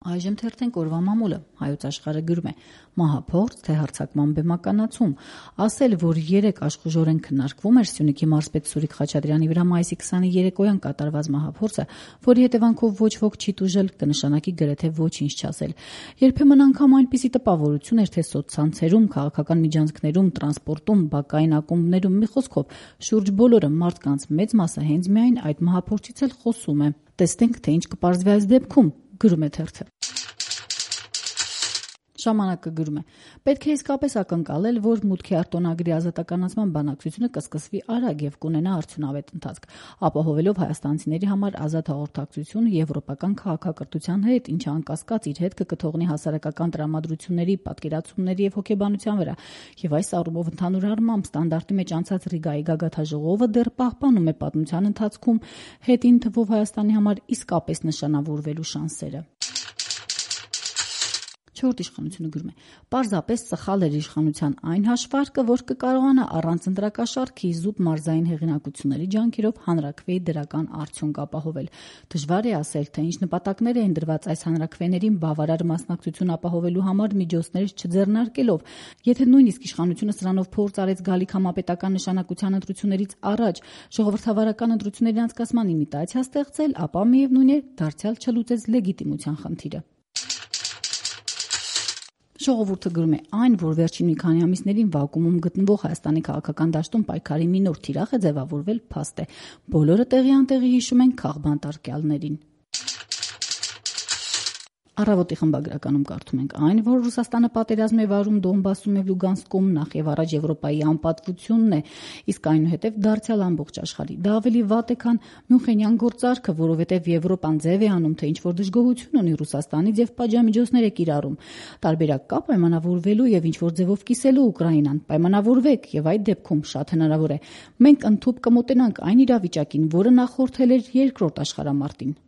Այժմ թերթենք օրվա մամուլը, Հայոց Աշխարհը գրում է. մահափորձ, թե հարձակման բեմականացում։ Ասել, որ 3 աշխուժորեն քննարկվում էր Սյունիքի մարզպետ Սուրիկ Խաչատրյանի վրա մայիսի 20-ի երեկոյան կատարված մահափորձը, որի հետևանքով ոչ ոք չի տուժել, կնշանակի գրեթե ոչինչ չասել։ Երբեմն անգամ այնպիսի տպավորություն էր, թե սոցցանցերում, քաղաքական միջանցքներում, տրանսպորտում, բակային ակումբներում, մի խոսքով, շուրջ բոլորը մարդկանց մեծ մասը հենց միայն այդ մահափորձից էլ խոսում է։ Տեսնենք, թե ինչ կպարզվի այս դեպքում, գրում է թերթը։ Ժամանակը գրում է. պետք է իսկապես ակնկալել, որ մուտքի արտոնագրի ազատականացման բանակցությունը կսկսվի արագ եւ կունենա արդյունավետ ընթացք, ապահովելով հայաստանցիների համար ազատ հաղորդակցություն եվրոպական քաղաքակրթության հետ, ինչը անկասկած իր հետ կկթողնի հասարակական տրամադրությունների, պատկերացումների եւ հոգեբանության վրա։ Եվ այս առումով ընդհանուր առմամբ ստանդարտի մեջ անցած Ռիգայի գագաթաժողովը դեռ պահպանում է պատմության ընթացքում հետին թվով Հայաստանի համար իսկապես նշանավորվելու շանսերը։ Չորրորդ իշխանությունը գրում է. պարզապես սխալ էր իշխանության այն հաշվարկը, որ կկարողանա առանց ընտրակաշառքի զուտ մարզային հեղինակությունների ջանքերով հանրաքվեի դրական արդյունք ապահովել։ Դժվար է ասել, թե ինչ նպատակներ էին դրված այս հանրաքվեներին բավարար մասնակցություն ապահովելու համար միջոցներ չձեռնարկելով։ Եթե նույնիսկ իշխանությունը սրանով փորձ արեց գալիք համապետական նշանակության ընտրություններից առաջ ժողովրդավարական ընտրությունների անցկացման իմիտացիա ստեղծել, ապա միևնույն է դարձյալ չլուծեց լեգիտիմության խնդիրը։ Ժողովուրդը գրում է. այն, որ վերջին մի քանի ամիսներին վակուումում գտնվող Հայաստանի քաղաքական դաշտում պայքարի մի նոր թիրախ է ձևավորվել, փաստ է։ Բոլորը տեղի անտեղի հիշում են քաղբան տարկյալներին։ Առավոտի խմբագրականում կարդում ենք. այն, որ Ռուսաստանը պատերազմ է վարում Դոնբասում եւ Լուգանսկում, նախ եւ առաջ Եվրոպայի անպատվությունն է, իսկ այնուհետեւ դարձյալ ամբողջ աշխարհի։ Դա ավելի վատ է, քան Մյունխենյան գործարքը, որովհետեւ Եվրոպան ձև է անում, թե ինչ որ դժգոհություն ունի Ռուսաստանից եւ պատժամիջոցներ է կիրառում։ Տարբերակ կա պայմանավորվելու եւ ինչ որ ձևով կիսելու Ուկրաինան։ Պայմանավորվեք եւ այդ դեպքում շատ հնարավոր է մենք ընդཐུպ կմոտենանք այն իրավիճակին, որը նախորդել էր երկրորդ աշխարհամարտին։